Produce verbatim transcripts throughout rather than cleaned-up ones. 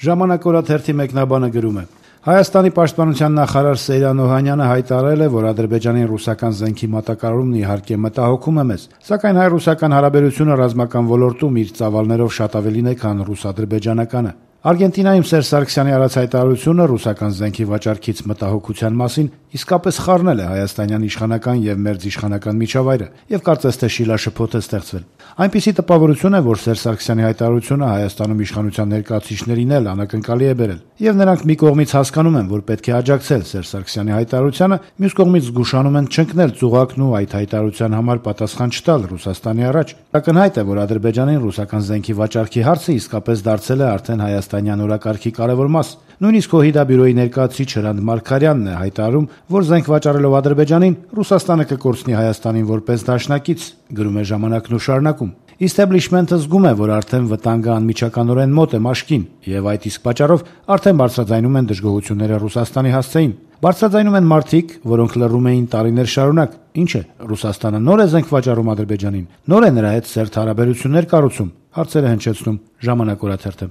Ժամանակ օրաթերթի մեկնաբանը գրում է. Հայաստանի պաշտպանության նախարար Սեյրան Օհանյանը հայտարարել է, որ Ադրբեջանին ռուսական զենքի մատակարարումն իհարկե մտահոգում է մեզ, սակայն հայ-ռուսական հարաբերությունը ռազմական ոլորտում իր ծավալներով շատ ավելին է, քան ռուս-ադրբեջանականը։ Արգենտինայում Սերժ Սարգսյանի արած հայտարարությունը ռուսական զենքի վաճառքից մտահոգության մասին իսկապես խառնել է հայաստանյան իշխանական եւ մերձիշխանական միջավայրը եւ կարծես թե շիլաշփոթ է ստեղծվել։ Այնպիսի տպավորություն է, որ Սերժ Սարգսյանի հայտարարությունը Հայաստանում իշխանության ներկայացուցիչներին էլ անակնկալի է բերել, եւ նրանք մի կողմից հասկանում են, որ պետք է աջակցել Սերժ Սարգսյանի հայտարարությանը, մյուս կողմից զգուշանում են չընկնել ծուղակն ու այդ հայտարարության համար պատասխան չտալ Ռուսաստանի առաջ։ Ակնհայտ է, որ Ադրբեջանին ռուսական զենքի վաճառքի հարցը իսկապես դարձել է արդեն հայաստանյան օրակարգի կարևոր մաս։ Նույնիսկ ՕՀԻԴ բյուրոյի ներկայացուցիչ Հրանտ Մարգարյանն է հայտարարում, որ զենք վաճառելով Ադրբեջանին Ռուսաստանը կկորցնի Հայաստանին որպես դաշնակից, գրում է Ժամանակն ու շարունակում։ Իստեբլիշմենթը զգում է, որ արդեն վտանգը անմիջականորեն մոտ է մաշկին, եւ այդ իսկ պատճառով արդեն բարձրաձայնում են դժգոհությունները Ռուսաստանի հասցեին։ Բարձրաձայնում են մարդիկ, որոնք լռում էին տարիներ շարունակ։ Ինչ է, Ռուսաստանը նոր է զենք վաճառում Ադրբեջանին, նոր է նրա հետ սերտ հարաբերություններ կառուցում։ Հարցերը հնչեցնում Ժամանակ օրաթերթը։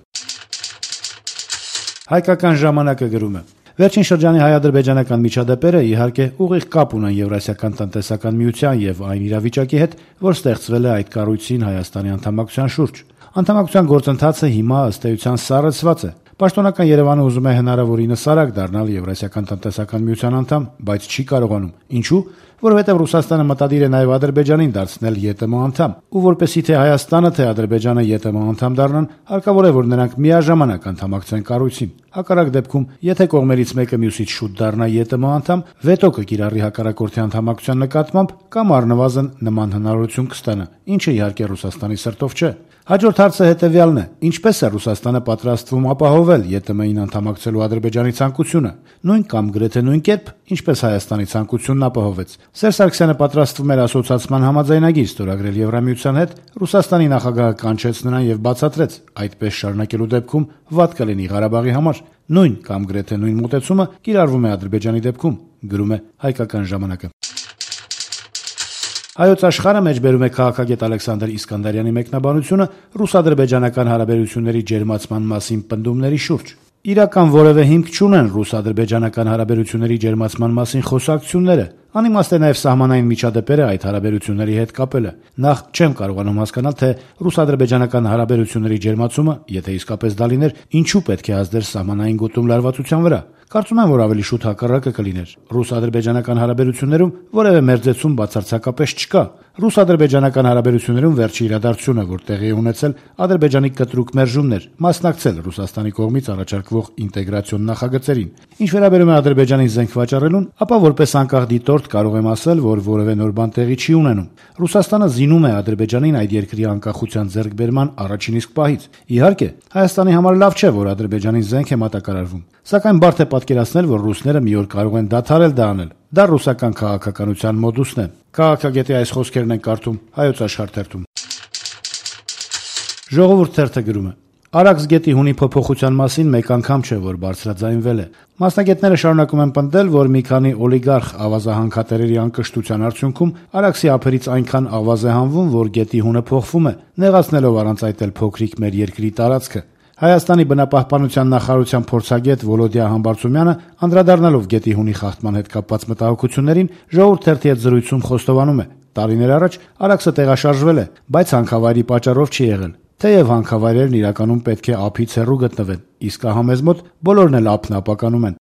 Հայկական ժամանակը գրում է. Վերջին շրջանի հայ-ադրբեջանական միջադեպերը իհարկե ուղիղ կապ ունեն Եվրասիական տնտեսական միության եւ այն իրավիճակի հետ, որ ստեղծվել է այդ կառույցին Հայաստանի անդամակցության շուրջ։ Անդամակցության գործընթացը հիմա ըստ էության սառեցված է։ Պաշտոնական Երևանը ուզում է հնարավորինս արագ դառնալ Եվրասիական տնտեսական միության անդամ, բայց չի կարողանում։ Ինչու՞։ Որովհետև Ռուսաստանը մտադիր է նաև Ադրբեջանին դարձնել ԵՏՄ անդամ, ու որպեսզի թե Հայաստանը, թե Ադրբեջանը ԵՏՄ անդամ դառնան, հարկավոր է, որ նրանք միաժամանակ անդամակցեն կառույցին։ Հակառակ դեպքում, եթե կողմերից մեկը մյուսից շուտ դառնա ԵՏՄ անդամ, վետո կկիրառի հակառակորդի անդամակցության նկատմամբ կամ առնվազն նման հնարավորություն կստանա, ինչը իհարկե Ռուսաստանի սրտով չէ։ Հաջորդ հարցը հետևյալն է. ինչպես է Ռուսաստանը պատրաստվում ապահովել ԵՏՄ-ին անդամակցելու Ադրբեջանի ցանկությունը, նույն կամ գրեթե նույն կերպ, ինչպես Հայաստանի ցանկությունն ապահովեց։ Սերժ Սարգսյանը պատրաստվում էր ասոցիացիան համաձայնագիր ստորագրել Եվրամիության հետ, Ռուսաստանի նախագահը կանչեց նրան եւ բացատրեց, այդպես շարունակելու դեպքում վատ կլինի Ղարաբաղի համար։ Նույն կամ գրեթե նույն մոտեցումը կիրառվում է Ադրբեջանի դեպքում, գրում է Հայկական ժամանակը։ Հայոց աշխարհը մեջբերում է քաղաքագետ Ալեքսանդր Իսկանդարյանի մեկնաբանությունը ռուս-ադրբեջանական հարաբերությունների ջերմացման մասին պնդումների շուրջ։ Իրական որևէ հիմք չունեն ռուս-ադրբեջանական հարաբերությունների ջերմացման մասին խոսակցությունները։ Անիմաստ է նաև սահմանային միջադեպերը այդ հարաբերությունների հետ կապելը։ Նախ չեմ կարողանում հասկանալ, թե ռուս-ադրբեջանական հարաբերությունների ջերմացումը, եթե իսկապես դա լիներ, ինչու պետք է ազդեր սահմանային գոտում լարվածության վրա։ Կարծում եմ, որ ավելի շուտ հակառակը կլիներ։ Ռուս-ադրբեջանական հարաբերություններում որևէ մերձեցում բացարձակապես չկա։ Ռուս-ադրբեջանական հարաբերություններում վերջի իրադարձությունը, որ տեղի է ունեցել, Ադրբեջանի կտրուկ մերժումն էր, մասնակցել Ռուսաստանի կողմից առաջարկվող ինտեգրացիոն նախագծերին։ Ինչ վերաբերում է Ադրբեջանին զենք վաճառելուն, ապա որպես անկախ դիտորդ կարող եմ ասել, որ որևէ նոր բան տեղի չի ունենում։ Ռուսաստանը զինում է Ադրբեջանին այդ երկրի անկախության ձեռքբերման առաջին իսկ պահից։ Իհարկե, Հայաստանի համար լավ չէ, որ Ադրբեջանին զենք է մատակարարվում, սակայն բարդ է պատկերացնել, որ ռուսները մի օր կարող են դադարել դա անել։ Դա ռուսական քաղաքականության մոդուսն է։ Քաղաքագետի այս խոսքերն են կարդում Հայոց աշխարհ թերթում։ Ժողովուրդ թերթը գրում է. Արաքս գետի հունի փոփոխության մասին մեկ անգամ չէ, որ բարձրաձայնվել է։ Մասնագետները շարունակում են պնդել, որ մի քանի օլիգարխ ավազահանքատերերի անկշտության արդյունքում Արաքսի ափերից այնքան ավազ է հանվում, որ գետի հունը փոխվում է, նեղացնելով առանց այդ էլ փոքրիկ մեր երկրի տարածքը։ Հայաստանի բնապահպանության նախարարության փորձագետ Վոլոդիա Համբարձումյանը, անդրադառնալով գետի հունի խախտման հետ կապված մտահոգություններին, Ժողովուրդ թերթի հետ զրույցում խոստովանում է. տարիներ առաջ Արաքսը տեղաշարժվել է, բայց հանքավայրի պատճառով չի եղել։ Թեև հանքավայրերն իրականում պետք է ափից հեռու գտնվեն, իսկ ահա մեզ մոտ բոլորն էլ ափն ապականում են։